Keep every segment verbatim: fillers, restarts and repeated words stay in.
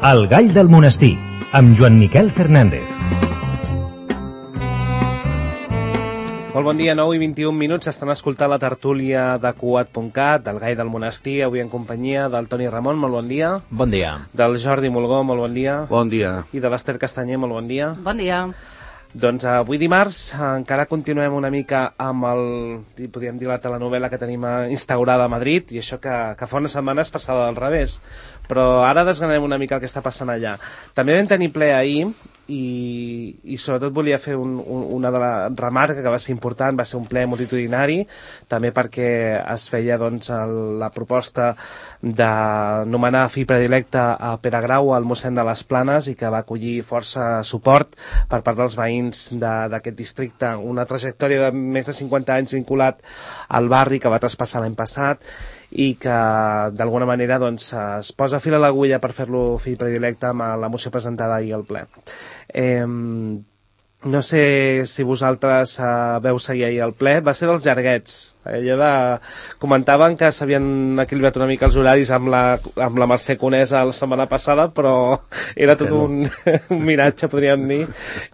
El gall del monestir, amb Joan Miquel Fernández. Molt bon dia, nou i vint-i-un minuts. Estan escoltant la tertúlia de cuat punt cat, del gall del monestir, avui en companyia del Toni Ramon, molt bon dia. Bon dia. Del Jordi Molgó, molt bon dia. Bon dia. I de l'Ester Castanyer, molt bon dia. Bon dia. Doncs avui dimarts encara continuem una mica amb el, podríem dir, la telenovela que tenim instaurada a Madrid, i això que, que fa unes setmanes passava al revés. Però ara desgranem una mica el que està passant allà. També vam tenir ple ahir, i, i sobretot volia fer un, un, una de la remarca que va ser important, va ser un ple multitudinari, també perquè es feia doncs, el, la proposta de nomenar fill predilecte a Pere Grau, al mossèn de les Planes, i que va acollir força suport per part dels veïns d'aquest districte, una trajectòria de més de cinquanta anys vinculat al barri que va traspassar l'any passat, i que d'alguna manera doncs, es posa fil a l'agulla per fer-lo fill predilecte amb la moció presentada ahir al ple. Eh, no sé si vosaltres eh, veu seguir ahir al ple, va ser dels llarguets. Allò de... Comentaven que s'havien equilibrat una mica els horaris amb la, amb la Mercè Conesa la setmana passada, però era tot un, un miratge, podríem dir,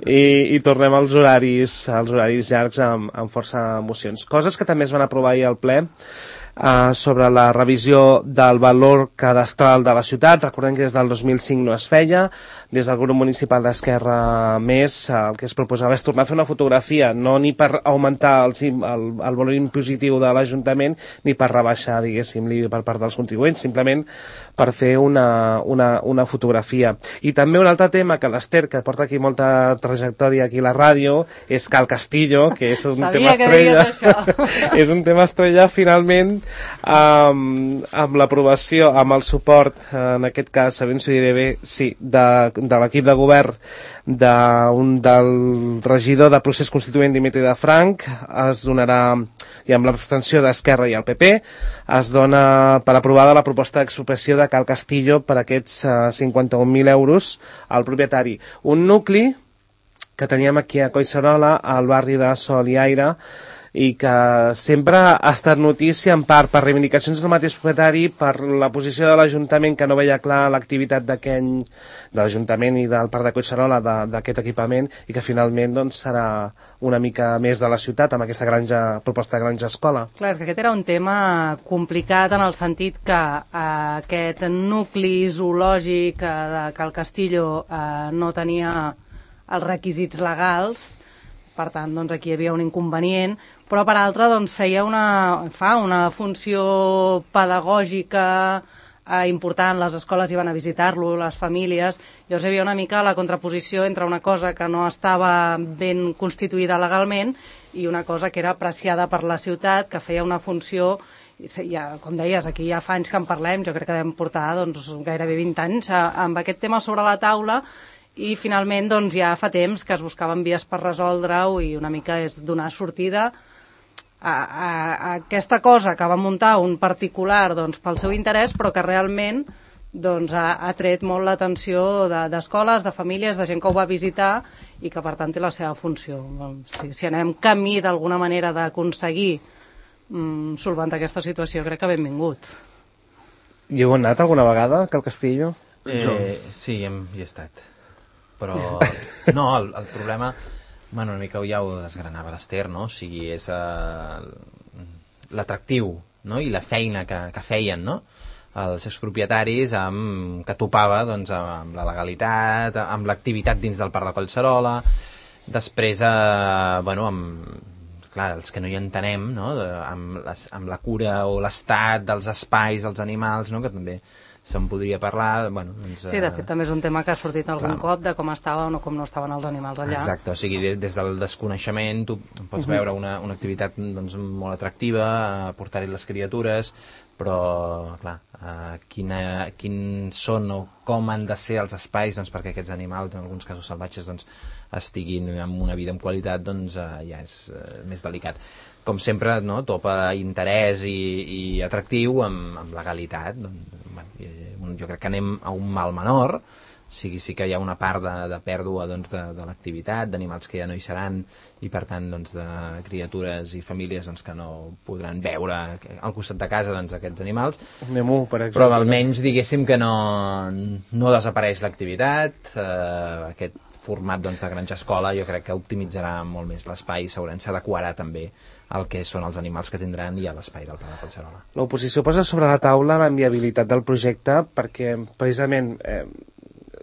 i, i tornem als horaris, als horaris llargs amb, amb força emocions. Coses que també es van aprovar ahir al ple, Uh, sobre la revisió del valor cadastral de la ciutat. Recordem que des del dos mil cinc no es feia. Des del grup municipal d'Esquerra Més uh, el que es proposava és tornar a fer una fotografia, no ni per augmentar el, el, el valor impositiu de l'Ajuntament ni per rebaixar, diguéssim, l'I B I per part dels contribuents, simplement per fer una, una, una fotografia. I també un altre tema que l'Ester, que porta aquí molta trajectòria aquí a la ràdio, és Cal Castillo, que és un Sabia tema estrella. És un tema estrella, finalment, amb, amb l'aprovació, amb el suport, en aquest cas, sabent-s'ho dir bé, sí, de, de l'equip de govern de un, del regidor de procés constituent Dimitri de Franc, es donarà, i amb l'abstenció d'Esquerra i el P P, es dona per aprovada la proposta d'expropiació de Cal Castillo per aquests uh, cinquanta-un mil euros al propietari. Un nucli que teníem aquí a Collserola, al barri de Sol i Aire, i que sempre ha estat notícia en part per reivindicacions del mateix propietari, per la posició de l'Ajuntament que no veia clar l'activitat d'aquell, de l'Ajuntament i del Parc de Collserola d'aquest equipament, i que finalment doncs, serà una mica més de la ciutat amb aquesta granja, proposta de granja escola. Clar, és que aquest era un tema complicat en el sentit que eh, aquest nucli zoològic eh, de Cal Castillo eh, no tenia els requisits legals, per tant, doncs, aquí hi havia un inconvenient, però per altra doncs, feia una, fa una funció pedagògica eh, important. Les escoles hi van a visitar-lo, les famílies. Llavors hi havia una mica la contraposició entre una cosa que no estava ben constituïda legalment i una cosa que era apreciada per la ciutat, que feia una funció, ja, com deies, aquí ja fa anys que en parlem, jo crec que vam portar doncs, gairebé vint anys eh, amb aquest tema sobre la taula, i finalment doncs, ja fa temps que es buscaven vies per resoldre-ho, i una mica és donar sortida a, a, a aquesta cosa que va muntar un particular doncs, pel seu interès, però que realment doncs, ha, ha tret molt l'atenció d'escoles, de famílies, de gent que ho va visitar, i que per tant té la seva funció. Si, si anem camí d'alguna manera d'aconseguir mm, solventar aquesta situació, crec que benvingut. I heu anat alguna vegada, Cal Castillo? Eh, sí, hem, hi he estat. Però no, el, el problema, bueno, una mica ja ho desgranava l'Ester, no? O sigui, és uh, l'atractiu, no? I la feina que, que feien, no? Els expropietaris amb, que topava doncs, amb la legalitat, amb l'activitat dins del Parc de Collserola, després, eh, bueno, amb, clar, els que no hi entenem, no? De, amb, les, amb la cura o l'estat dels espais, dels animals, no? Que també se'n podria parlar, bueno, doncs, sí, de fet també és un tema que ha sortit algun clar. cop de com estaven o com no estaven els animals allà. Exacte, o sigui, des, des del desconeixement tu pots uh-huh. veure una, una activitat doncs, molt atractiva, portar-hi les criatures, però clar, uh, quina, quins són o com han de ser els espais doncs, perquè aquests animals, en alguns casos salvatges, doncs, estiguin amb una vida amb qualitat, doncs uh, ja és uh, més delicat. Com sempre, no, topa interès i, i atractiu amb, amb legalitat. Doncs, bueno, jo crec que anem a un mal menor, sigui, sí que hi ha una part de, de pèrdua doncs, de, de l'activitat, d'animals que ja no hi seran i per tant doncs, de criatures i famílies doncs, que no podran veure al costat de casa doncs, aquests animals. Nemo, per exemple. Però almenys diguéssim que no, no desapareix l'activitat, eh, aquest format doncs, de granja escola jo crec que optimitzarà molt més l'espai, segurament s'adequarà també el que són els animals que tindran i a l'espai del Pla de Collserola. L'oposició posa sobre la taula la viabilitat del projecte perquè precisament eh,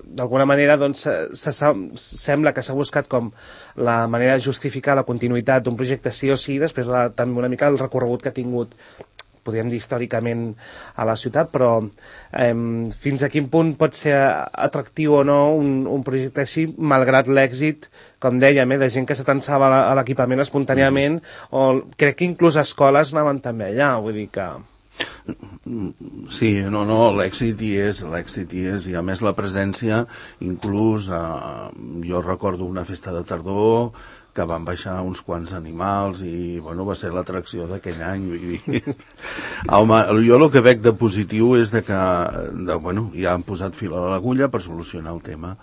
d'alguna manera doncs, se, se, sembla que s'ha buscat com la manera de justificar la continuïtat d'un projecte sí o sí, després de, també una mica el recorregut que ha tingut, podríem dir històricament a la ciutat, però eh, fins a quin punt pot ser atractiu o no un, un projecte així, malgrat l'èxit, com dèiem, eh, de gent que s'atansava a l'equipament espontàniament, mm. o crec que inclús escoles anaven també allà, vull dir que... Sí, no, no, l'èxit hi és, l'èxit hi és, i a més la presència, inclús, eh, jo recordo una festa de tardor que van baixar uns quants animals i, bueno, va ser l'atracció d'aquell any, vull dir. Home, jo el que veig de positiu és de que, de, bueno, ja han posat fil a l'agulla per solucionar el tema,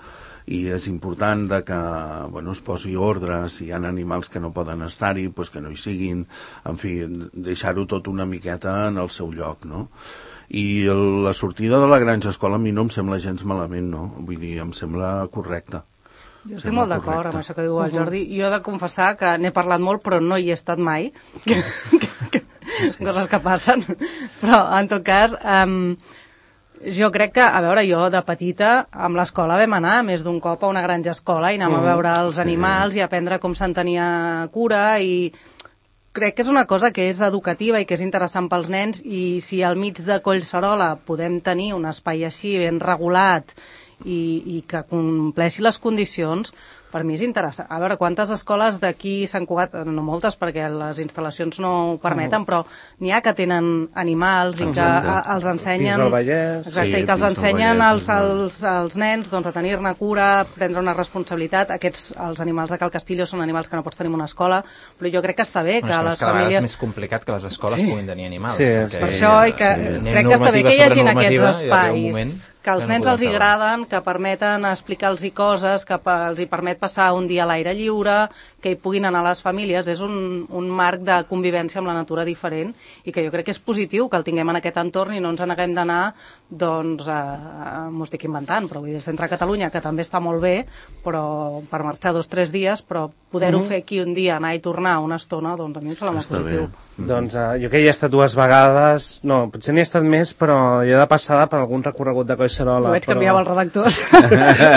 i és important de que bueno, es posi ordre, si hi ha animals que no poden estar-hi, pues que no hi siguin, en fi, deixar-ho tot una miqueta en el seu lloc, no? I el, la sortida de la granja escola a mi no em sembla gens malament, no? Vull dir, em sembla correcta. Jo estic molt d'acord amb això que diu el Jordi. Jo he de confessar que n'he parlat molt, però no hi he estat mai. Coses que passen. Però, en tot cas... Um, Jo crec que, a veure, jo de petita amb l'escola vam anar més d'un cop a una granja escola i anàvem a veure els animals i aprendre com se'n tenia cura, i crec que és una cosa que és educativa i que és interessant pels nens, i si al mig de Collserola podem tenir un espai així ben regulat i, i que compleixi les condicions, per mi és interessant. A veure, quantes escoles d'aquí Sant Cugat, no moltes perquè les instal·lacions no ho permeten, però n'hi ha que tenen animals i que a, els ensenyen... Fins al Vallès. Exacte, sí, i que els ensenyen als, als, als nens doncs, a tenir-ne cura, a prendre una responsabilitat. Aquests, els animals de Cal Castillo són animals que no pots tenir en una escola, però jo crec que està bé que bueno, les cada famílies... és més complicat que les escoles sí. puguin tenir animals. Sí, perquè, per això, i que sí. crec que està bé que hi hagin aquests espais, que als no nens els hi agraden, que permeten explicar-los coses, que els hi permet passar un dia a l'aire lliure, que hi puguin anar les famílies. És un, un marc de convivència amb la natura diferent i que jo crec que és positiu que el tinguem en aquest entorn i no ens n'haguem d'anar, doncs, a, m'ho estic inventant, però vull dir, el centre de Catalunya, que també està molt bé, però per marxar dos o tres dies, però poder-ho mm-hmm. fer aquí un dia, anar i tornar una estona, doncs a mi em sembla molt positiu. Mm-hmm. Doncs uh, jo que hi he estat dues vegades, no, potser n'hi he estat més, però jo de passada per algun recorregut de Collserola. Ho veig però... canviava els redactors.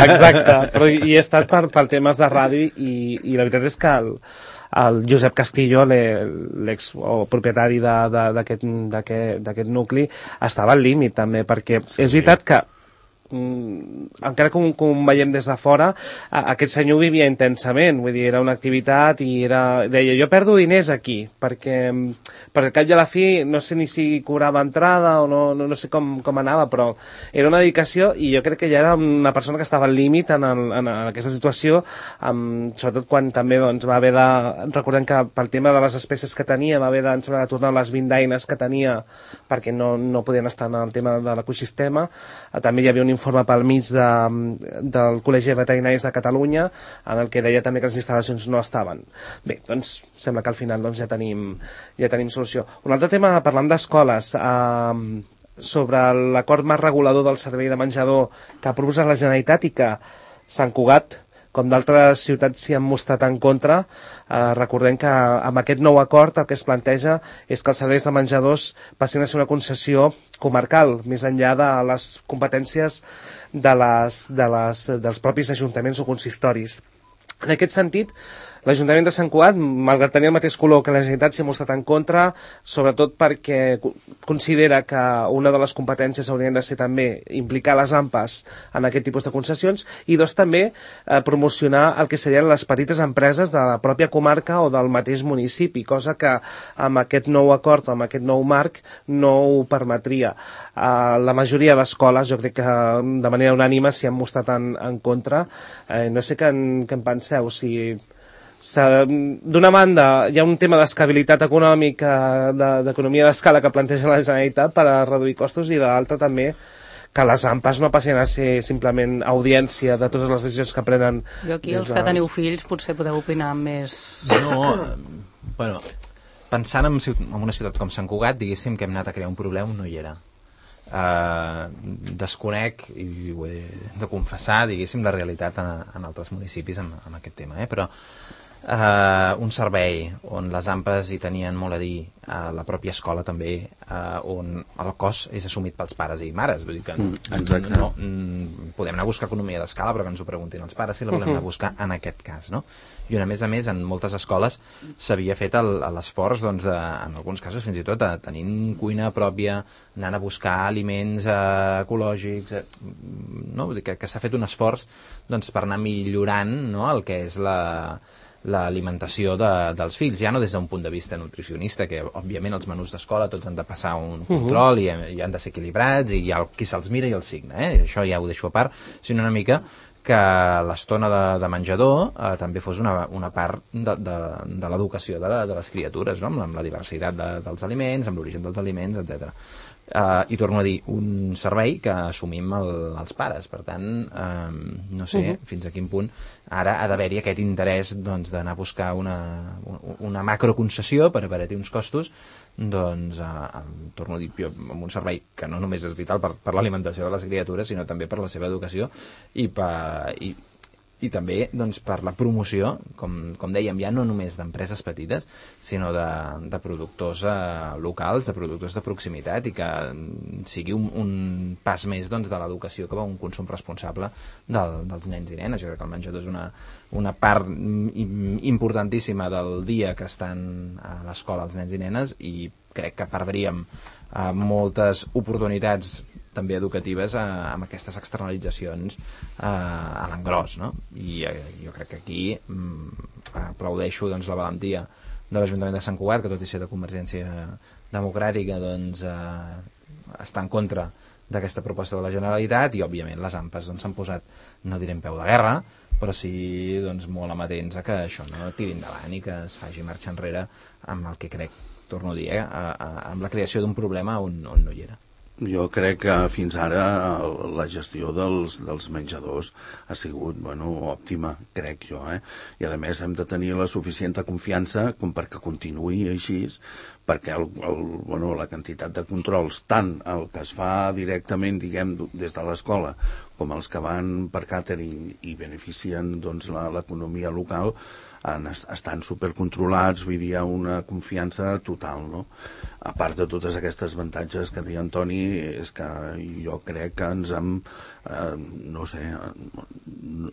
Exacte, però hi he estat per, per temes de ràdio i, i la veritat és que el, el Josep Castillo, l'ex o propietari d'aquest nucli, estava al límit també, perquè és veritat que encara com, com veiem des de fora, aquest senyor vivia intensament, vull dir, era una activitat i era, deia, jo perdo diners aquí, perquè per al cap i a la fi no sé ni si cobrava entrada o no, no, no sé com, com anava, però era una dedicació i jo crec que ja era una persona que estava al límit en, el, en, en aquesta situació, amb, sobretot quan també doncs, va haver de, recordem que pel tema de les espècies que tenia va haver de, de tornar les vint daines que tenia perquè no, no podien estar en el tema de l'ecosistema. També hi havia un informe pel mig de, del Col·legi de Veterinaris de Catalunya en el que deia també que les instal·lacions no estaven. Bé, doncs sembla que al final doncs, ja, tenim, ja tenim solució. Un altre tema, parlant d'escoles, eh, sobre l'acord marc regulador del servei de menjador que ha proposat la Generalitat i que Sant Cugat, com d'altres ciutats s'hi han mostrat en contra, eh, recordem que amb aquest nou acord el que es planteja és que els serveis de menjadors passin a ser una concessió comarcal, més enllà de les competències de les, de les, dels propis ajuntaments o consistoris. En aquest sentit, l'Ajuntament de Sant Cugat, malgrat tenir el mateix color que la Generalitat, s'hi ha mostrat en contra, sobretot perquè considera que una de les competències haurien de ser també implicar les A M P As en aquest tipus de concessions i dos també eh, promocionar el que serien les petites empreses de la pròpia comarca o del mateix municipi, cosa que amb aquest nou acord, amb aquest nou marc, no ho permetria. Eh, la majoria d'escoles, jo crec que de manera unànime s'hi han mostrat en, en contra. Eh, no sé què en, què en penseu, si... D'una banda hi ha un tema d'escabilitat econòmica, d'economia d'escala que planteja la Generalitat per a reduir costos, i de l'altra també que les AMPAs no passin a ser simplement audiència de totes les decisions que prenen. Jo aquí, els que teniu fills, potser podeu opinar més... No, bueno, pensant en, en una ciutat com Sant Cugat, diguéssim que hem anat a crear un problema, no hi era. Uh, desconec, i ho he de confessar, diguéssim, la realitat en, en altres municipis en, en aquest tema, eh? Però uh, un servei on les AMPAs hi tenien molt a dir, a la pròpia escola també, uh, on el cost és assumit pels pares i mares, vull dir que no, mm, no, no podem anar a buscar economia d'escala, però que ens ho preguntin els pares si la volem anar a buscar en aquest cas, no? I a més a més en moltes escoles s'havia fet l'esforç, doncs, de, en alguns casos fins i tot de, tenint cuina pròpia, anant a buscar aliments eh, ecològics, eh, no? Vull dir que, que s'ha fet un esforç, doncs, per anar millorant, no?, el que és la l'alimentació de, dels fills, ja no des d'un punt de vista nutricionista, que òbviament els menús d'escola tots han de passar un control uh -huh. i, i han de ser equilibrats, i hi ha qui se'ls mira i els signa, eh? Això ja ho deixo a part, sinó una mica que l'estona de, de menjador eh, també fos una, una part de, de, de l'educació de, la, de les criatures, no? amb, amb la diversitat de, dels aliments, amb l'origen dels aliments, etcètera. Uh, I torno a dir, un servei que assumim el, els pares, per tant, um, no sé uh -huh. fins a quin punt ara ha d'haver-hi aquest interès, doncs, d'anar a buscar una, una macroconcessió per abaratir uns costos, doncs, uh, torno a dir, jo, amb un servei que no només és vital per, per l'alimentació de les criatures, sinó també per la seva educació i per... I, i també, doncs, per la promoció, com, com dèiem, ja no només d'empreses petites, sinó de, de productors eh, locals, de productors de proximitat, i que sigui un, un pas més, doncs, de l'educació cap a un consum responsable del, dels nens i nenes. Jo crec que el menjador és una, una part importantíssima del dia que estan a l'escola els nens i nenes, i crec que perdríem eh, moltes oportunitats també educatives eh, amb aquestes externalitzacions eh, a l'engròs, no? I eh, jo crec que aquí mm, aplaudeixo, doncs, la valentia de l'Ajuntament de Sant Cugat, que tot i ser de Convergència Democràtica, doncs, eh, està en contra d'aquesta proposta de la Generalitat, i òbviament les AMPAs doncs, s'han posat, no diré en peu de guerra, però sí, doncs, molt amatents a que això no tiri endavant i que es faci marxa enrere amb el que crec, torno a dir, eh, a, a, amb la creació d'un problema on, on no hi era. Jo crec que fins ara la gestió dels, dels menjadors ha sigut, bueno, òptima, crec jo, eh? I a més hem de tenir la suficient confiança com perquè continuï així, perquè el, el, bueno, la quantitat de controls, tant el que es fa directament, diguem, des de l'escola, com els que van per càtering i beneficien, doncs, l'economia local, han, estan supercontrolats, vull dir, hi ha una confiança total, no? A part de totes aquestes avantatges que deia Antoni, és que jo crec que ens hem, eh, no sé, no,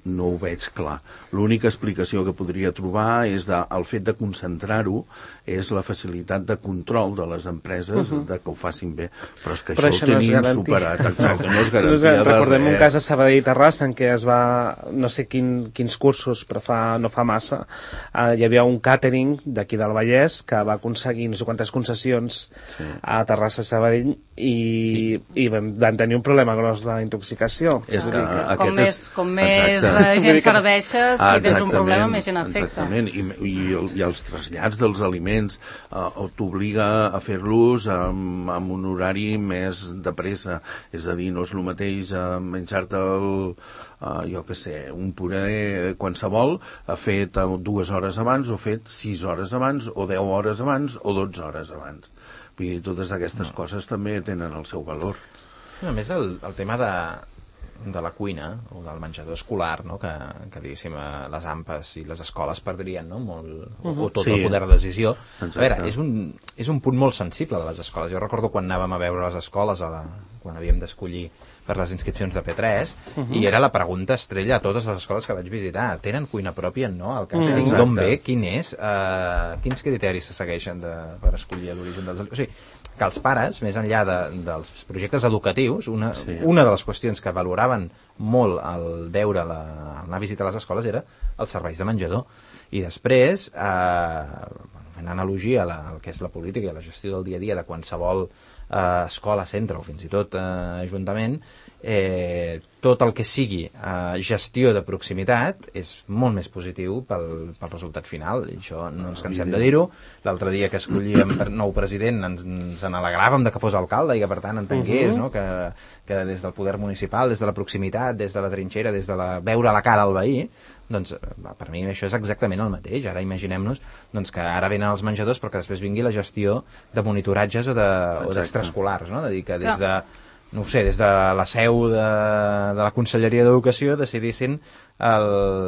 no ho veig clar. L'única explicació que podria trobar és de, el fet de concentrar-ho, és la facilitat de control de les empreses, uh -huh. de que ho facin bé, però és que però això, això ho tenim no superat, exacte, no és garantia de recordem res. Un cas a Sabadell i Terrassa en què es va, no sé quin, quins cursos, però fa, no fa massa, eh, hi havia un càtering d'aquí del Vallès que va aconseguir no sé quantes concessions sí. a Terrassa i Sabadell i, i van tenir un problema gros d'intoxicació. És que, que com més, és... com més gent serveixes, si tens un problema, més gent afecta. Exactament, I, i, i els trasllats dels aliments eh, t'obliga a fer-los amb, amb un horari més de pressa, és a dir, no és el mateix eh, menjar-te el Uh, jo què sé, un puré qualsevol, fet uh, dues hores abans o fet sis hores abans o deu hores abans o dotze hores abans. Vull dir, totes aquestes no. coses també tenen el seu valor. A més, el, el tema de, de la cuina o del menjador escolar, no? que, que diguéssim, les AMPAs i les escoles perdrien, no? Molt, uh -huh. o tot sí. el poder de decisió. Exacte. A veure, és un, és un punt molt sensible de les escoles. Jo recordo quan anàvem a veure les escoles, a la, quan havíem d'escollir per les inscripcions de P tres, uh -huh. i era la pregunta estrella a totes les escoles que vaig visitar. Tenen cuina pròpia? No. El càtering d'on ve? Quin és? Uh, quins criteris se segueixen de, per escollir l'origen dels... O sigui, que els pares, més enllà de, dels projectes educatius, una, sí. una de les qüestions que valoraven molt al veure la, anar a visitar les escoles era els serveis de menjador. I després, eh, fent analogia a la, al que és la política i la gestió del dia a dia de qualsevol eh, escola-centre o fins i tot eh, ajuntament, eh, tot el que sigui eh, gestió de proximitat és molt més positiu pel, pel resultat final, i això no ens cansem de dir-ho. L'altre dia que escollíem per nou president ens, ens en alegràvem de que fos alcalde i que per tant entengués, uh-huh. no? que, que des del poder municipal, des de la proximitat, des de la trinxera, des de la, veure la cara al veí, doncs per mi això és exactament el mateix. Ara imaginem-nos doncs, que ara venen els menjadors però que després vingui la gestió de monitoratges o d'extraescolars, no? De dir que des de no ho sé, des de la seu de, de la Conselleria d'Educació decidissin el,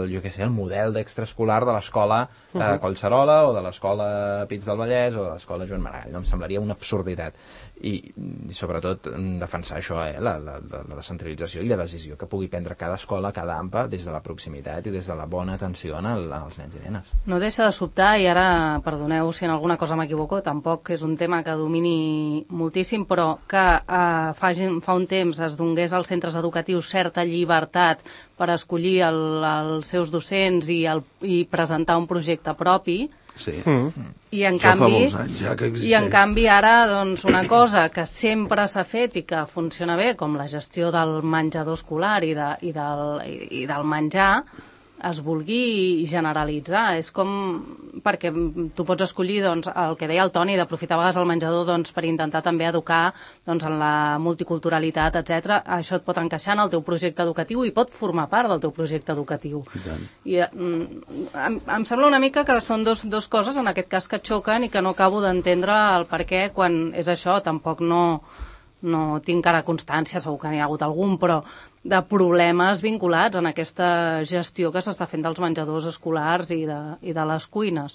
jo què sé, el model d'extraescolar de l'escola eh, Collserola o de l'escola Pits del Vallès o de l'escola Joan Maragall. No? Em semblaria una absurditat. I, i sobretot defensar això, eh, la, la, la descentralització i la decisió que pugui prendre cada escola, cada A M P A, des de la proximitat i des de la bona atenció als nens i nenes. No deixa de sobtar, i ara, perdoneu si en alguna cosa m'equivoco, tampoc és un tema que domini moltíssim, però que eh, fa, fa un temps es donés als centres educatius certa llibertat per escollir el, els seus docents i, el, i presentar un projecte propi. Sí. Mm. I en Això canvi, fa molts anys ja que existeix. I en canvi ara doncs, una cosa que sempre s'ha fet i que funciona bé, com la gestió del menjador escolar i, de, i, del, i, i del menjar, es vulgui generalitzar. És com perquè tu pots escollir doncs, el que deia el Toni, d'aprofitar a vegades el menjador doncs, per intentar també educar doncs, en la multiculturalitat, etcètera. Això et pot encaixar en el teu projecte educatiu i pot formar part del teu projecte educatiu. I, I mm, em, em sembla una mica que són dos, dos coses en aquest cas que xoquen i que no acabo d'entendre el per què quan és això. Tampoc no, no tinc ara constància, segur que n'hi ha hagut algun, però de problemes vinculats en aquesta gestió que s'està fent dels menjadors escolars i de, i de les cuines.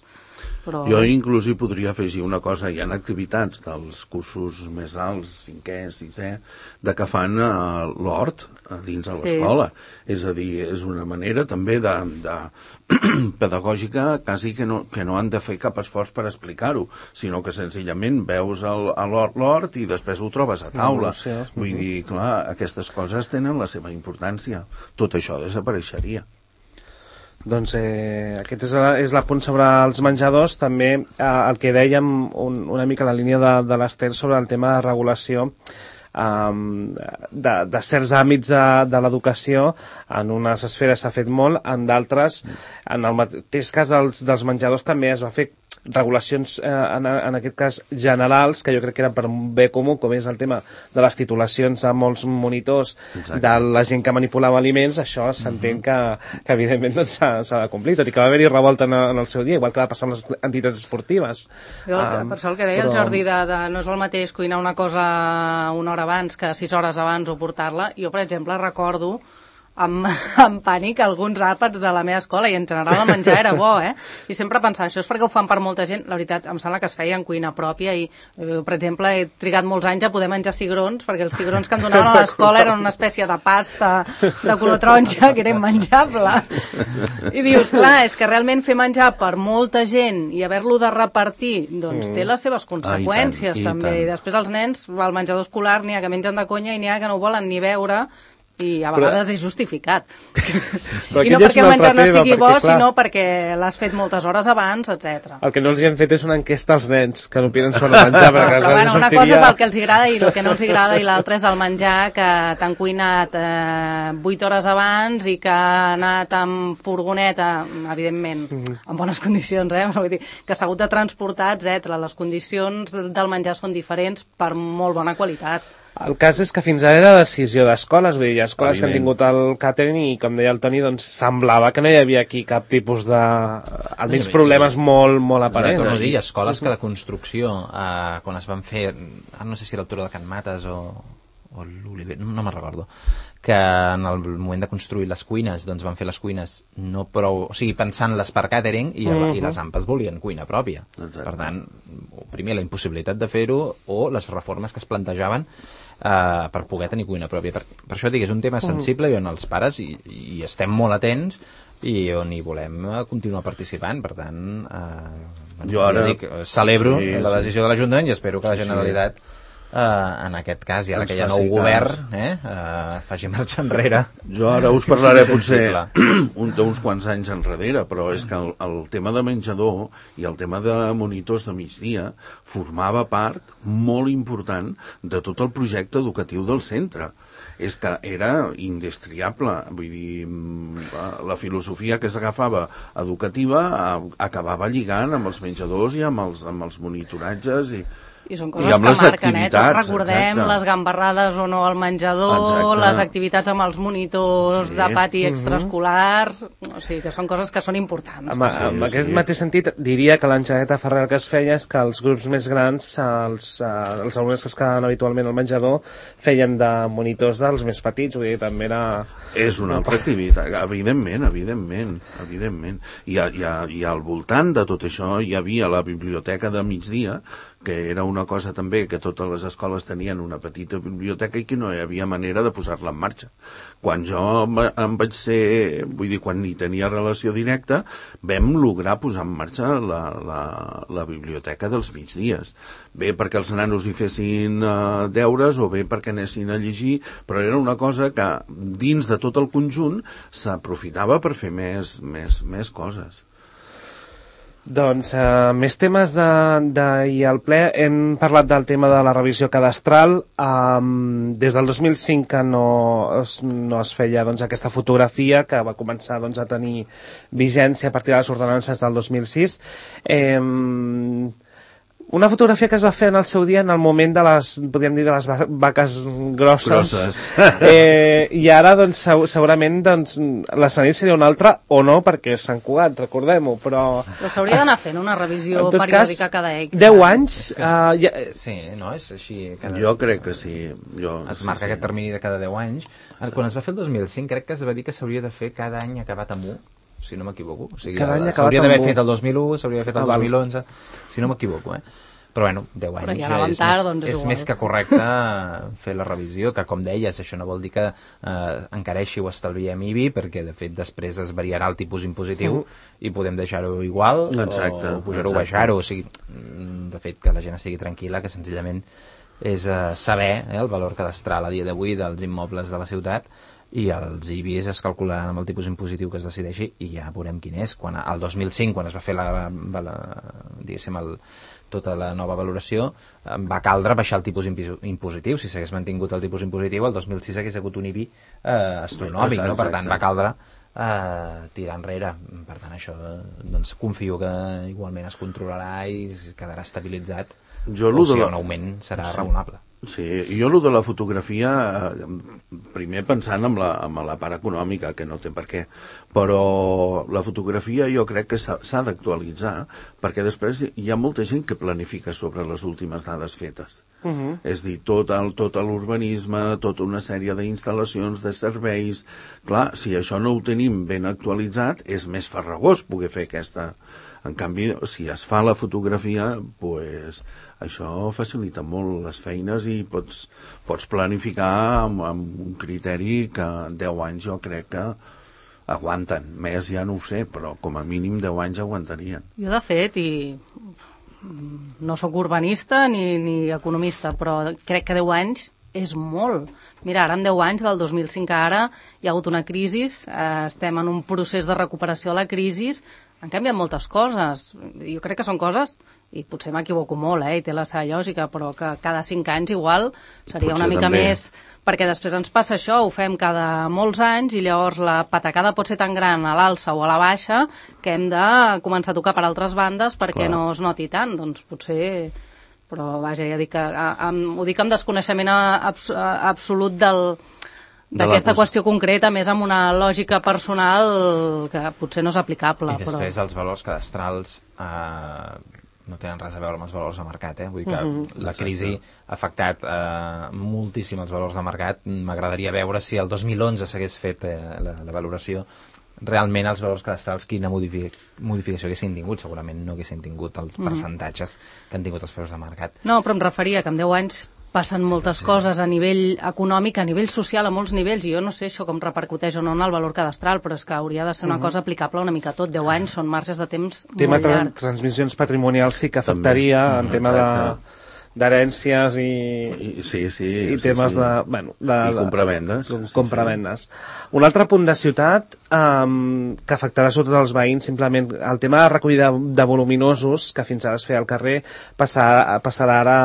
Però... Jo inclús hi podria afegir una cosa. Hi ha activitats dels cursos més alts, cinquè, sisè, de que fan uh, l'hort a dins de l'escola. Sí. És a dir, és una manera també de, de pedagògica quasi que no, que no han de fer cap esforç per explicar-ho, sinó que senzillament veus l'hort i després ho trobes a taula. No, sí, sí. Vull dir, clar, aquestes coses tenen la seva importància. Tot això desapareixeria. Doncs eh, aquest és, és l'apunt sobre els menjadors. També eh, el que dèiem un, una mica la línia de, de l'Ester sobre el tema de regulació um, de, de certs àmbits de, de l'educació. En unes esferes s'ha fet molt, en d'altres, en el mateix cas dels, dels menjadors també es va fer regulacions eh, en, en aquest cas generals, que jo crec que eren per un bé comú, com és el tema de les titulacions a molts monitors. Exacte. De la gent que manipulava aliments. Això s'entén uh-huh. que, que evidentment doncs, s'ha de complir, tot i que va haver-hi revolta en, en el seu dia, igual que va passar amb les entitats esportives. Jo, um, per això el que deia però... el Jordi de, de no és el mateix cuinar una cosa una hora abans que sis hores abans o portar-la. Jo, per exemple, recordo amb, amb pànic alguns àpats de la meva escola, i en general el menjar era bo, eh? I sempre pensava, això és perquè ho fan per molta gent. La veritat, em sembla que es feia en cuina pròpia i, eh, per exemple, he trigat molts anys a poder menjar cigrons, perquè els cigrons que em donaven a l'escola eren una espècie de pasta de color taronja que era immenjable. I dius, clar, és que realment fer menjar per molta gent i haver-lo de repartir, doncs mm. té les seves conseqüències, ah, i tant, també. I, i després els nens, al menjador escolar, n'hi ha que mengen de conya i n'hi ha que no ho volen ni veure, i a vegades però... és justificat. I no perquè el menjar no sigui bo, perquè, sinó perquè l'has fet moltes hores abans, etcètera. El que no els hi hem fet és una enquesta als nens, que no opinen sobre menjar. Però, però bueno, una sortiria... cosa és el que els agrada i el que no els agrada, i l'altra és el menjar que t'han cuinat eh, vuit hores abans i que ha anat amb furgoneta, evidentment, mm-hmm. en bones condicions, eh? Vull dir, que s'ha hagut de transportar, etcètera. Les condicions del menjar són diferents per molt bona qualitat. El cas és que fins ara era decisió d'escoles, vull dir, hi ha escoles que han tingut el catering i, com deia el Toni, doncs semblava que no hi havia aquí cap tipus de... almenys problemes molt, molt aparents. Exacte, no, hi ha escoles que de construcció, eh, quan es van fer, no sé si a l'altura de Can Mates o, o l'Oliver, no, no me'n recordo, que en el moment de construir les cuines, doncs van fer les cuines no prou, o sigui, pensant-les per catering i, uh-huh. i les A M P As volien cuina pròpia. Exacte. Per tant, primer la impossibilitat de fer-ho o les reformes que es plantejaven Uh, per poder tenir cuina pròpia. Per, per això dic, és un tema sensible i on els pares hi, hi estem molt atents i on hi volem continuar participant. Per tant, uh, jo ara... dic, celebro sí, la decisió sí. de l'Ajuntament i espero que la Generalitat... Uh, en aquest cas, i ara Ens que hi ha faci nou cas. govern, eh, uh, faci marxa enrere. Jo ara us Que parlaré sigui potser sensible. un, d'uns quants anys enrere, però és que el, el tema de menjador i el tema de monitors de migdia formava part molt important de tot el projecte educatiu del centre. És que era indestriable, vull dir, mm, la filosofia que s'agafava educativa a- acabava lligant amb els menjadors i amb els, amb els monitoratges i, I són I coses amb que les marquen, eh? Tots activitats, recordem exacte. les gambarrades o no al menjador, Exacte. les activitats amb els monitors Sí. de pati extraescolars, o sigui que són coses que són importants. Amb, Sí, amb sí. aquest mateix sentit, diria que l'enxaneta Ferrer que es feia és que els grups més grans, els, eh, els alumnes que es quedaven habitualment al menjador, feien de monitors dels més petits, vull dir, també era... és una altra activitat, evidentment, evidentment, evidentment. I, a, i, a, i al voltant de tot això hi havia la biblioteca de migdia, que era una cosa també que totes les escoles tenien una petita biblioteca i que no hi havia manera de posar-la en marxa. Quan jo em, em vaig ser, vull dir, quan ni tenia relació directa, vam lograr posar en marxa la, la, la biblioteca dels migdies. Bé perquè els nanos hi fessin uh, deures o bé perquè anessin a llegir, però era una cosa que dins de tot el conjunt s'aprofitava per fer més, més, més coses. Doncs eh, més temes de, de i al ple. Hem parlat del tema de la revisió cadastral. Um, des del dos mil cinc que no es, no es feia doncs, aquesta fotografia que va començar doncs, a tenir vigència a partir de les ordenances del dos mil sis. Eh, una fotografia que es va fer en el seu dia en el moment de les, podríem dir, de les va- vaques grosses. Grosses. Eh, I ara, doncs, segu- segurament, doncs, l'escenari seria un altre o no, perquè Sant Cugat, recordem-ho, però... Però s'hauria d'anar fent una revisió En tot periòdica cas, cada X. deu anys... Uh, ja, Sí, no? És així. Cada... Jo crec que sí. Jo, Es sí, marca sí. aquest termini de cada deu anys. Quan es va fer el dos mil cinc, crec que es va dir que s'hauria de fer cada any acabat amb u, si no m'equivoco. O sigui, Cada any acabat s'hauria d'haver amb u. fet el dos mil u, s'hauria d'haver fet el Ah, val. dos mil onze, si no m'equivoco, eh? Però bueno, deu Però anys ja anàvem és, tard, més, doncs és és igual. més que correcte fer la revisió, que com deies, això no vol dir que eh, encareixi o estalviem I B I, perquè de fet després es variarà el tipus impositiu Uh-huh. i podem deixar-ho igual Exacte, o pujar-ho o exacte. baixar-ho. O sigui, mm, de fet, que la gent estigui tranquil·la, que senzillament és eh, saber eh, el valor cadastral a dia d'avui dels immobles de la ciutat, i els I B Is es calcularan amb el tipus impositiu que es decideixi i ja veurem quin és. Quan, el dos mil cinc, quan es va fer la, la, diguéssim, el, tota la nova valoració, eh, va caldre baixar el tipus impi- impositiu. Si s'hagués mantingut el tipus impositiu, el dos mil sis hagués hagut un I B I eh, astronòmic, no? Per tant, va caldre eh, tirar enrere. Per tant, això eh, doncs, confio que igualment es controlarà i quedarà estabilitzat. Jo O lo de sigui, la- un augment serà Sí. raonable. Sí, jo el de la fotografia, eh, primer pensant en la, en la part econòmica, que no té per què, però la fotografia jo crec que s'ha s'ha d'actualitzar, perquè després hi ha molta gent que planifica sobre les últimes dades fetes. uh -huh. És a dir, tot el, tot l'urbanisme, tota una sèrie d'instal·lacions, de serveis... Clar, si això no ho tenim ben actualitzat, és més farragós poder fer aquesta... En canvi, si es fa la fotografia, pues, això facilita molt les feines i pots, pots planificar amb, amb un criteri que en deu anys jo crec que aguanten. Més ja no ho sé, però com a mínim deu anys aguantarien. Jo, de fet, i no sóc urbanista ni, ni economista, però crec que deu anys és molt. Mira, ara en deu anys, del dos mil cinc a ara, hi ha hagut una crisi, eh, estem en un procés de recuperació de la crisi, han canviat moltes coses. Jo crec que són coses, i potser m'equivoco molt, eh, i té la seva lògica, però que cada cinc anys igual seria Potser una mica també. més... Perquè després ens passa això, ho fem cada molts anys i llavors la patacada pot ser tan gran a l'alça o a la baixa que hem de començar a tocar per altres bandes perquè Clar. no es noti tant. Doncs potser... Però vaja, ja dic que a, amb, ho dic amb desconeixement a, abs, a, absolut del De la d'aquesta qüestió. qüestió concreta, més amb una lògica personal que potser no és aplicable. I després però... els valors cadastrals eh, no tenen res a veure amb els valors de mercat, eh? Vull dir que Mhm. la crisi ha afectat eh, moltíssim els valors de mercat. M'agradaria veure si el dos mil onze s'hagués fet eh, la, la valoració, realment els valors cadastrals quina modific modificació haguessin tingut. Segurament no haguessin tingut els percentatges que han tingut els preus de mercat. No, però em referia que en deu anys passen moltes coses a nivell econòmic, a nivell social, a molts nivells, i jo no sé això com repercuteix o no en el valor cadastral, però és que hauria de ser una cosa aplicable una mica a tot. deu anys són marges de temps Tema molt de llargs. transmissions patrimonials sí que afectaria També. en tema de, Exacte. d'herències i, I, sí, sí, i sí, temes sí. de... Bueno, de I compravendes. de, compravendes. Un altre punt de ciutat um, que afectarà sobretot els veïns, simplement el tema de recollida de voluminosos, que fins ara es feia al carrer, passarà, passarà ara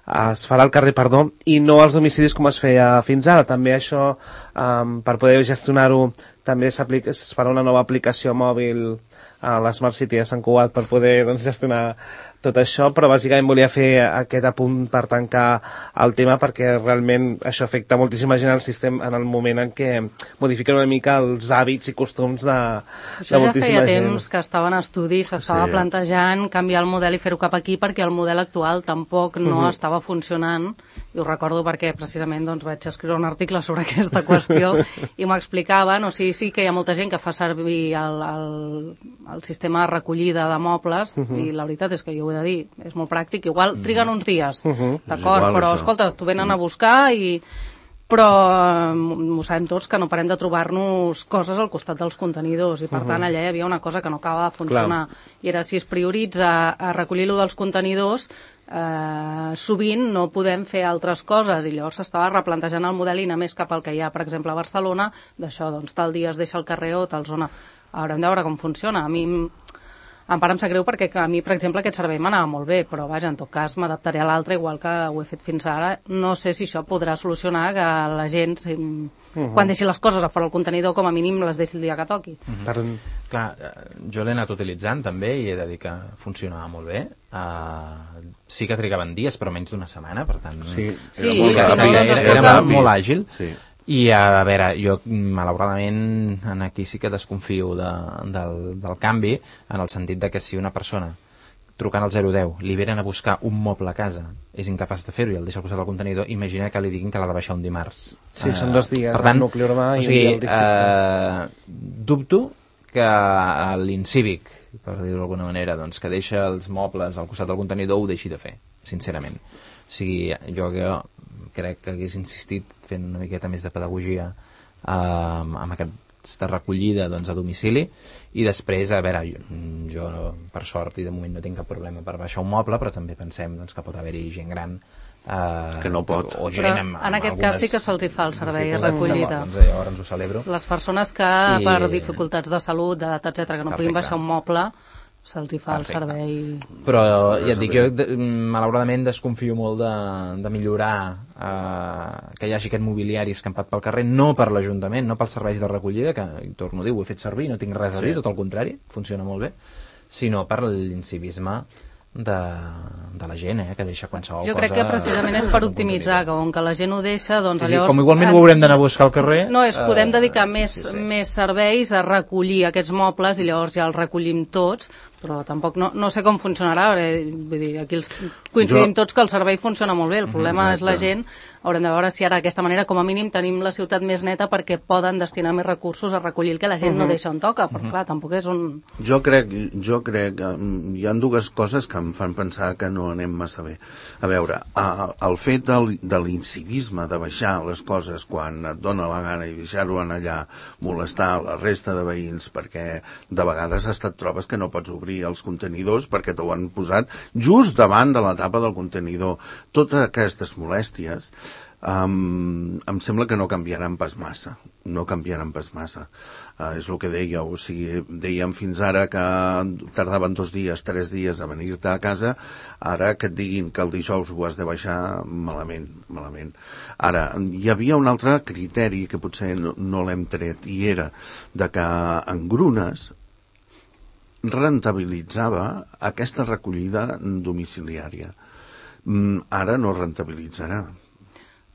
a, es farà al carrer, perdó, i no als domicilis com es feia fins ara. També això, um, per poder gestionar-ho, també es farà una nova aplicació mòbil a l'Smart City de Sant Cugat per poder doncs, gestionar tot això, però bàsicament volia fer aquest apunt per tancar el tema, perquè realment això afecta moltíssima gent al sistema en el moment en què modifiquen una mica els hàbits i costums de, de moltíssima gent. Això ja feia temps que estava en estudi, s'estava Sí. plantejant canviar el model i fer-ho cap aquí, perquè el model actual tampoc no Mhm. estava funcionant, i ho recordo perquè precisament doncs, vaig escriure un article sobre aquesta qüestió i m'explicaven, o sigui, sí que hi ha molta gent que fa servir el, el, el sistema de recollida de mobles, Mhm. i la veritat és que jo ho he de dir, és molt pràctic, igual triguen uns dies, Mhm. d'acord, És igual, però això. escolta, t'ho venen a buscar i però ho sabem tots que no parem de trobar-nos coses al costat dels contenidors i per tant allà hi havia una cosa que no acaba de funcionar. I era si es prioritza a recollir-lo dels contenidors, eh, sovint no podem fer altres coses i llavors s'estava replantejant el model i anar més cap al que hi ha, per exemple, a Barcelona, d'això, doncs tal dia es deixa el carrer o tal zona. Haurem de veure com funciona. A mi em pare em sap greu perquè a mi, per exemple, aquest servei m'anava molt bé, però vaja, en tot cas m'adaptaré a l'altre igual que ho he fet fins ara. No sé si això podrà solucionar que la gent, si, uh -huh. quan deixi les coses a fora del contenidor, com a mínim les deixi el dia que toqui. Mm -hmm. Per... Clar, jo l'he anat utilitzant també i he de dir que funcionava molt bé. Uh, sí que trigaven dies, però menys d'una setmana, per tant... Sí, Sí, era molt sí, ràpid. no, doncs, era, escolta, era molt àgil. Sí. I a veure, jo malauradament en aquí sí que desconfio de, del, del canvi, en el sentit de que si una persona trucant al zero deu li venen a buscar un moble a casa, és incapaç de fer-ho i el deixa al costat del contenidor, imagina que li diguin que l'ha de baixar un dimarts. Sí, són dos dies, per tant, el nucli urbà i o un sigui, dia al districte. eh, dubto que l'Incívic, per dir-ho d'alguna manera, doncs, que deixa els mobles al costat del contenidor ho deixi de fer, sincerament. O sigui, jo, jo crec que hagués insistit fent una miqueta més de pedagogia eh, amb aquesta recollida doncs, a domicili i després, a veure, jo, jo per sort i de moment no tinc cap problema per baixar un moble, però també pensem doncs, que pot haver-hi gent gran eh, Que no pot. o gent Però amb, amb en aquest algunes cas sí que se'ls hi fa el servei de dificultats. recollida. Doncs llavors ho celebro. Les persones que I- per dificultats de salut, d'edat, etcètera, que no puguin Perfecte. baixar un moble, se'ls hi fa Perfecte. el servei. Però ja et dic, jo de, malauradament desconfio molt de, de millorar eh, que hi hagi aquest mobiliari escampat pel carrer, no per l'Ajuntament, no pels serveis de recollida, que, i torno a dir, ho he fet servir, no tinc res a dir, Sí. tot el contrari, funciona molt bé, sinó per l'incivisme de, de la gent, eh, que deixa qualsevol Jo cosa... crec que precisament és per optimitzar, que com que la gent ho deixa, doncs Sí, sí, llavors... com igualment ho haurem d'anar a buscar al carrer... No, és podem eh, dedicar més, sí, sí. més serveis a recollir aquests mobles i llavors ja els recollim tots, però tampoc no, no sé com funcionarà, perquè, vull dir, aquí els, coincidim Jo- tots que el servei funciona molt bé, el problema és la Exacte. gent, haurem de veure si ara d'aquesta manera com a mínim tenim la ciutat més neta perquè poden destinar més recursos a recollir el que la gent no deixa on toca, però clar, tampoc és un... Jo crec, jo crec que mm, hi ha dues coses que em fan pensar que no anem massa bé. A veure, a, el fet del, de l'incivisme, de baixar les coses quan et dona la gana i deixar-ho en allà, molestar la resta de veïns, perquè de vegades hasta et trobes que no pots obrir els contenidors perquè t'ho han posat just davant de la tapa del contenidor. Totes aquestes molèsties Um, em sembla que no canviaran pas massa, no canviaran pas massa. Uh, és el que dèieu, o sigui, dèiem fins ara que tardaven dos dies, tres dies a venir-te a casa, ara que et diguin que el dijous ho has de baixar, malament, malament. Ara, hi havia un altre criteri que potser no, no l'hem tret, i era de que en Grunes rentabilitzava aquesta recollida domiciliària. Mm, ara no rentabilitzarà.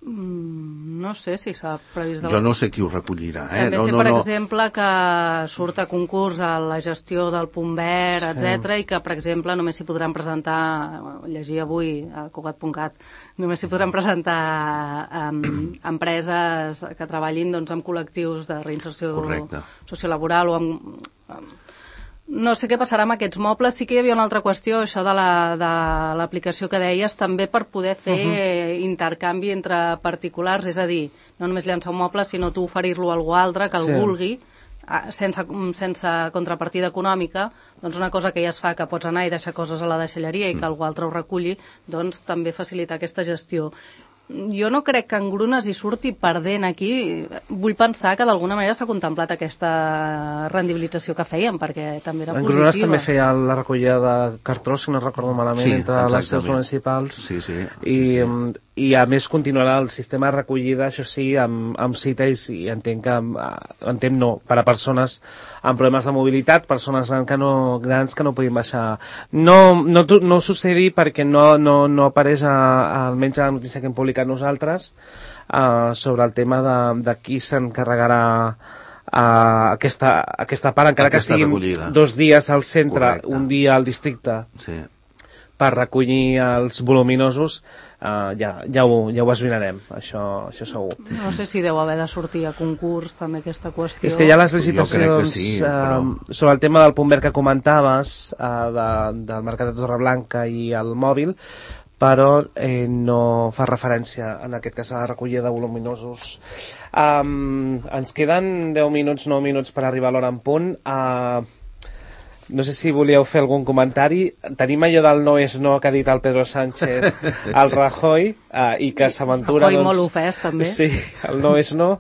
Mm, no sé si s'ha previst... Jo no sé qui ho recollirà, eh? També no, sé, no, per no. exemple, que surt a concurs a la gestió del punt verd, sí. etcètera, i que, per exemple, només s'hi podran presentar, llegia avui a Cugat punt cat, només s'hi podran presentar um, empreses que treballin doncs, amb col·lectius de reinserció Correcte. sociolaboral o amb... amb no sé què passarà amb aquests mobles. Sí que hi havia una altra qüestió, això de la- de l'aplicació que deies, també per poder fer uh-huh. intercanvi entre particulars, és a dir, no només llançar un moble, sinó tu oferir-lo a algú altre que el Sí. vulgui, sense, sense contrapartida econòmica, doncs una cosa que ja es fa, que pots anar i deixar coses a la deixalleria i que algú altre ho reculli, doncs també facilitar aquesta gestió. Jo no crec que Engrunes hi surti perdent aquí. Vull pensar que d'alguna manera s'ha contemplat aquesta rendibilització que fèiem, perquè també era positiva. Engrunes també feia la recollida de cartró, si no recordo malament, sí, entre les seus municipals. Sí, sí. I, sí, sí. I a més continuarà el sistema de recollida, això sí, amb, amb cita i, i entenc que entenc no, per a persones amb problemes de mobilitat, persones grans que no, grans que no puguin baixar. No, no, no succedir perquè no, no, no apareix a, a, almenys a la notícia que hem publicat nosaltres uh, sobre el tema de, de qui s'encarregarà uh, aquesta, aquesta part, encara aquesta que siguin recollida. Dos dies al centre, correcte. Un dia al districte, sí. per recollir els voluminosos, uh, ja, ja, ho, ja ho esbrinarem, això, això segur. No sé si deu haver de sortir a concurs també aquesta qüestió. És que hi ha les licitacions sí, però... uh, sobre el tema del punt verd que comentaves, uh, de, del Mercat de Torreblanca i el mòbil, però eh, no fa referència en aquest cas a la recollida de voluminosos. Um, ens queden deu minuts, nou minuts per arribar a l'hora en punt. Uh, no sé si volíeu fer algun comentari. Tenim allò del no és no que ha dit el Pedro Sánchez al Rajoy uh, i que s'aventura... Rajoy doncs, molt ofès també. Sí, el no és no,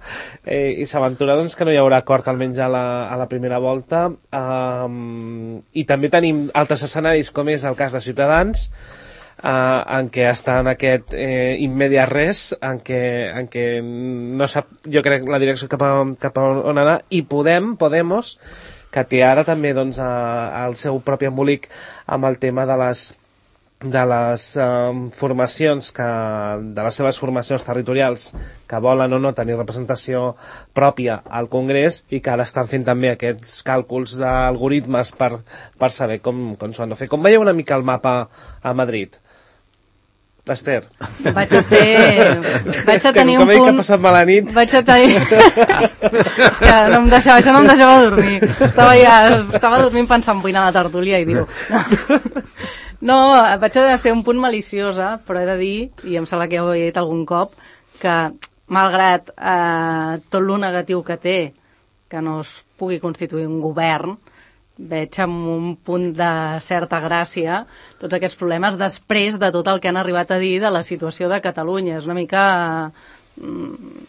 eh, i s'aventura doncs, que no hi haurà acord almenys a la, a la primera volta. Um, I també tenim altres escenaris com és el cas de Ciutadans, Uh, en què està en aquest eh, immediat res, en què, en què no sap, jo crec, la direcció cap a, cap a on anar, i Podem, Podemos, que té ara també doncs, a, el seu propi embolic amb el tema de les de les um, formacions que, de les seves formacions territorials que volen o no tenir representació pròpia al Congrés i que ara estan fent també aquests càlculs d'algoritmes per, per saber com, com s'ho han de fer. Com veieu una mica el mapa a Madrid? Esther. Vaig a ser... Vaig a tenir un punt... Com he passat mala nit. Vaig a tenir... És que no em deixava, això no em deixava dormir. Estava ja... Estava dormint pensant vull anar a la tertúlia i diu... No, vaig a ser un punt maliciosa, però he de dir, i em sembla que ja ho he dit algun cop, que malgrat eh, tot lo negatiu que té, que no es pugui constituir un govern, veig amb un punt de certa gràcia tots aquests problemes després de tot el que han arribat a dir de la situació de Catalunya. És una mica...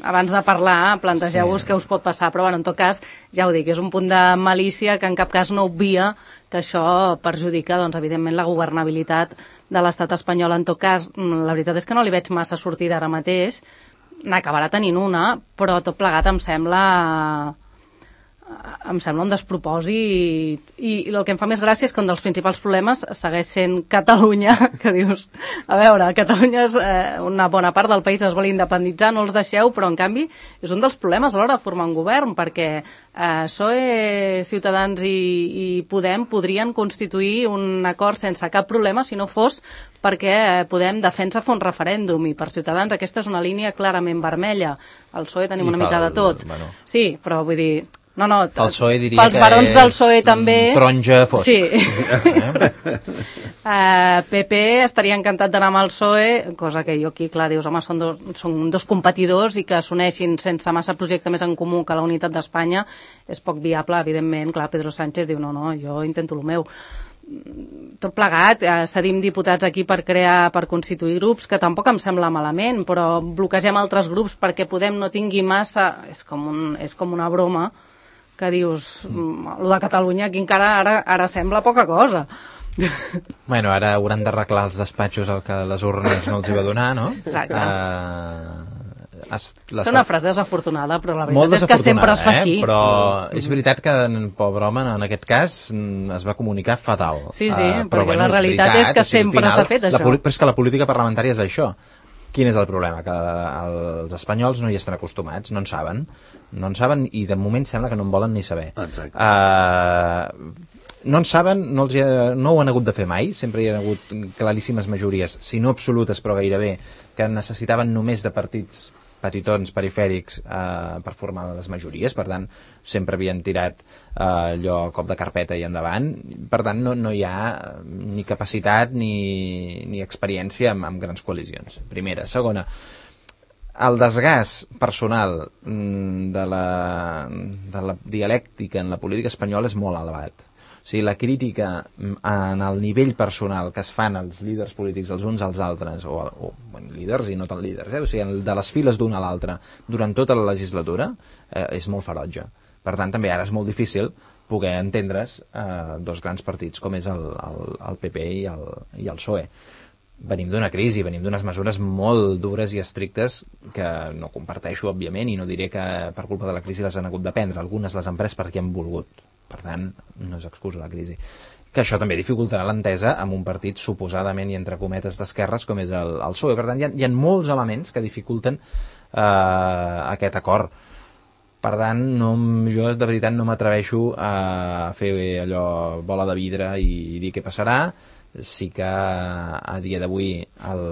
Abans de parlar, plantegeu-vos sí. Què us pot passar, però bueno, en tot cas, ja ho dic, és un punt de malícia que en cap cas no obvia que això perjudica, doncs, evidentment, la governabilitat de l'estat espanyol. En tot cas, la veritat és que no li veig massa sortida ara mateix, n'acabarà tenint una, però tot plegat em sembla... em sembla un despropòsit i, i el que em fa més gràcia és que un dels principals problemes segueix sent Catalunya, que dius, a veure, Catalunya és eh, una bona part del país es vol independitzar, no els deixeu, però en canvi és un dels problemes a l'hora de formar un govern, perquè eh, P S O E, Ciutadans i, i Podem podrien constituir un acord sense cap problema si no fos perquè eh, Podem defensa fer un referèndum i per Ciutadans aquesta és una línia clarament vermella. Al P S O E tenim I una mica pel, de tot. Bueno. Sí, però vull dir... No, no, el P S O E diria pels barons del P S O E també... taronja fosc. Sí. uh, P P estaria encantat d'anar amb el P S O E, cosa que jo aquí, clar, dius, home, són dos, són dos competidors i que s'uneixin sense massa projecte més en comú que la unitat d'Espanya és poc viable, evidentment. Clar, Pedro Sánchez diu, no, no, jo intento el meu. Tot plegat, eh, cedim diputats aquí per crear, per constituir grups, que tampoc em sembla malament, però bloquegem altres grups perquè Podem no tingui massa... És com, un, és com una broma que dius, mm. lo de Catalunya aquí encara ara, ara sembla poca cosa. Bueno, ara hauran d'arreglar els despatxos el que les urnes no els hi va donar, no? Exacte. Uh, es, és una frase desafortunada, però la molt veritat és que sempre es fa així. Eh? Però és veritat que, pobre home, en aquest cas es va comunicar fatal. Sí, sí, uh, però perquè bueno, la realitat és, veritat, és que o sigui, sempre s'ha fet això. La, però és que la política parlamentària és això. Quin és el problema? Que els espanyols no hi estan acostumats, no en saben, no en saben i de moment sembla que no en volen ni saber. Exacte. Uh, no en saben, no, els ha, no ho han hagut de fer mai, sempre hi ha hagut claríssimes majories, si no absolutes però gairebé, que necessitaven només de partits petitons perifèrics eh, per formar les majories, per tant sempre havien tirat eh, allò cop de carpeta i endavant, per tant no, no hi ha ni capacitat ni, ni experiència amb, amb grans coalicions. Primera. Segona, el desgast personal de la, de la dialèctica en la política espanyola és molt elevat. O sigui, la crítica en el nivell personal que es fan els líders polítics els uns als altres, o, o bueno, líders i no tan líders, eh? O sigui, de les files d'un a l'altre durant tota la legislatura eh, és molt ferotge. Per tant, també ara és molt difícil poder entendre's eh, dos grans partits com és el, el, el P P i el, i el P S O E. Venim d'una crisi, venim d'unes mesures molt dures i estrictes que no comparteixo, òbviament, i no diré que per culpa de la crisi les han hagut de prendre. Algunes les han pres perquè han volgut. Per tant, no és excusa la crisi. Que això també dificultarà l'entesa amb un partit suposadament i entre cometes d'esquerres com és el, el P S O E. Per tant, hi ha, hi ha molts elements que dificulten eh, aquest acord. Per tant, no, jo de veritat no m'atreveixo a fer allò bola de vidre i dir què passarà. Sí que a dia d'avui el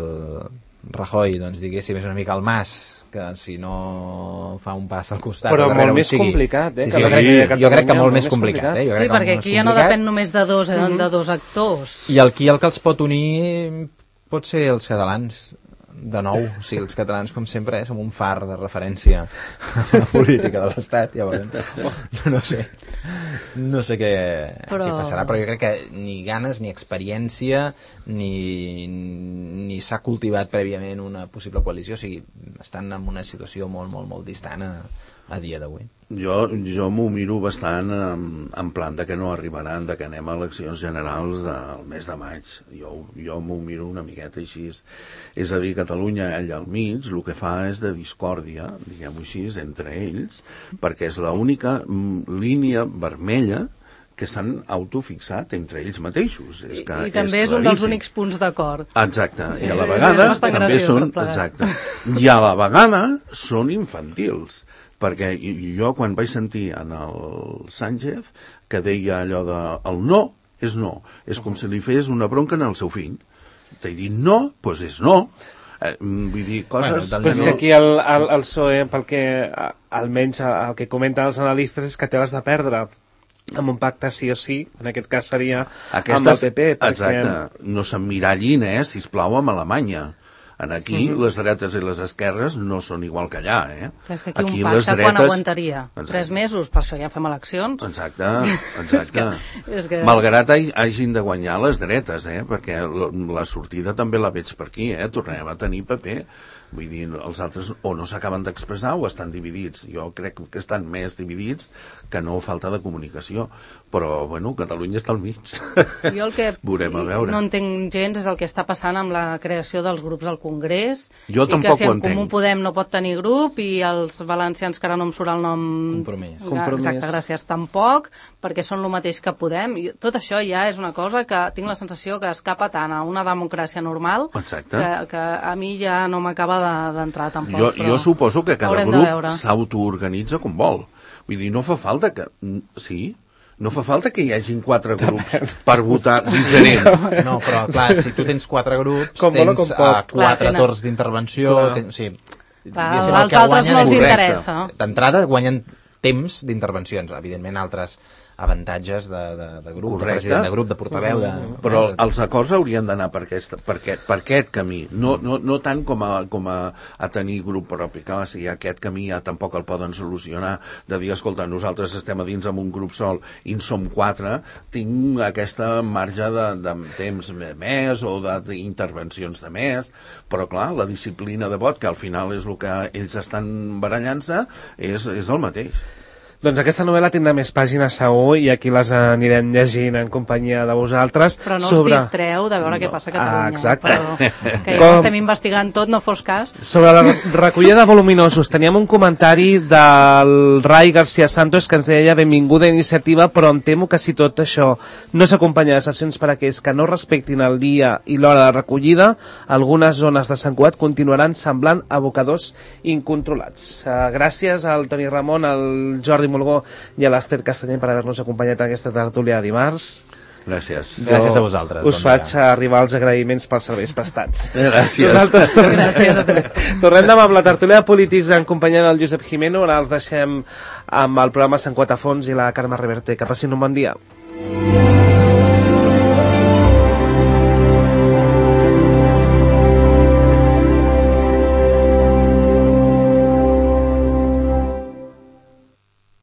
Rajoy, doncs diguéssim, és una mica el Mas, que si no fa un pas al costat... Però molt més complicat, eh? Sí, sí, jo, crec, jo crec que molt més complicat, eh? Jo sí, perquè aquí ja no depèn només de dos, eh, mm-hmm. de dos actors. I aquí el que els pot unir pot ser els catalans, de nou. O sigui, els catalans, com sempre, eh, som un far de referència a la política de l'Estat, llavors. No sé. No sé què, però... què passarà, però jo crec que ni ganes, ni experiència, ni, ni s'ha cultivat prèviament una possible coalició. O sigui, estan en una situació molt, molt, molt distant a, a dia d'avui. Jo, jo m'ho miro bastant en, en plan de que no arribaran, de que anem a eleccions generals al mes de maig. Jo, jo m'ho miro una miqueta així. És a dir, Catalunya, allà al mig, el que fa és de discòrdia, diguem-ho així, entre ells, perquè és l'única línia vermella que s'han autofixat entre ells mateixos. És que I, i també és, és un dels únics punts d'acord. Exacte. Sí, I a la vegada també són... Exacte. I a la vegada són infantils. Perquè jo quan vaig sentir en el Sánchez que deia allò de el no és no, és com si li fes una bronca en el seu fill. T'he dit no, doncs és no. Eh, vull dir, coses... Bueno, però és que aquí el, el, el P S O E, pel que almenys el que comenten els analistes és que té les de perdre amb un pacte sí o sí, en aquest cas seria Aquestes, amb el P P. Perquè... Exacte, no s'emmirallin, eh, sisplau, amb Alemanya. En aquí, uh-huh. les dretes i les esquerres no són igual que allà, eh? Però és que aquí, aquí un pacte dretes... quan aguantaria? Exacte. Tres mesos, per això ja fem eleccions. Exacte, exacte. és que, és que... Malgrat hagin de guanyar les dretes, eh? Perquè la sortida també la veig per aquí, eh? Tornem a tenir P P. Vull dir, els altres o no s'acaben d'expressar o estan dividits. Jo crec que estan més dividits que no falta de comunicació. Però, bueno, Catalunya està al mig. Jo el que Veurem a veure. no entenc gens és el que està passant amb la creació dels grups al Congrés. Jo i tampoc que si ho en entenc. Comú Podem no pot tenir grup i els valencians, que ara no em surt el nom... Compromís. Compromís. Exacte, gràcies, tampoc, perquè són el mateix que Podem. I tot això ja és una cosa que tinc la sensació que escapa tant a una democràcia normal Exacte. que, que a mi ja no m'acaba d'entrar tampoc. Jo, jo suposo que cada haurem grup s'autoorganitza com vol. Vull dir, no fa falta que... Sí, no fa falta que hi hagin quatre grups per votar diferent. No, però clar, si tu tens quatre grups, com tens com uh, quatre clar, torns d'intervenció... Tens, o sigui, als altres no els interessa. D'entrada guanyen temps d'intervencions. Evidentment, altres avantatges de, de, de grup, Correcte. de president de grup, de portaveu... De... Però els acords haurien d'anar per, aquest, per, aquest, per aquest camí, no, no, no tant com, a, com a, a tenir grup propi. Clar, si aquest camí ja tampoc el poden solucionar, de dir, escolta, nosaltres estem a dins amb un grup sol i en som quatre, tinc aquesta marge de, de temps més o d'intervencions de més, però clar, la disciplina de vot, que al final és el que ells estan barallant-se, és, és el mateix. Doncs aquesta novel·la tindrà més pàgines segur i aquí les anirem llegint en companyia de vosaltres. Però no sobre... us distreu de veure no. què passa a Catalunya. Ah, exacte. Però, que ja Com... estem investigant tot, no fos cas. Sobre la recollida de voluminosos, teníem un comentari del Rai García Santos que ens deia benvinguda iniciativa, però em temo que si tot això no s'acompanya de sessions per a aquells que no respectin el dia i l'hora de recollida, algunes zones de Sant Cugat continuaran semblant abocadors incontrolats. Uh, gràcies al Toni Ramon, al Jordi Molgó i a l'Ester Castanyer per haver-nos acompanyat en aquesta tertúlia de dimarts. Gràcies. Jo Gràcies a vosaltres. Us bon faig dia. Arribar els agraïments pels serveis prestats. Gràcies. Nosaltres tornem, tornem demà amb la tertúlia de polítics en companyia del Josep Jimeno. Ara els deixem amb el programa Sant Cugat a fons i la Carme Reverte. Que passin un bon dia.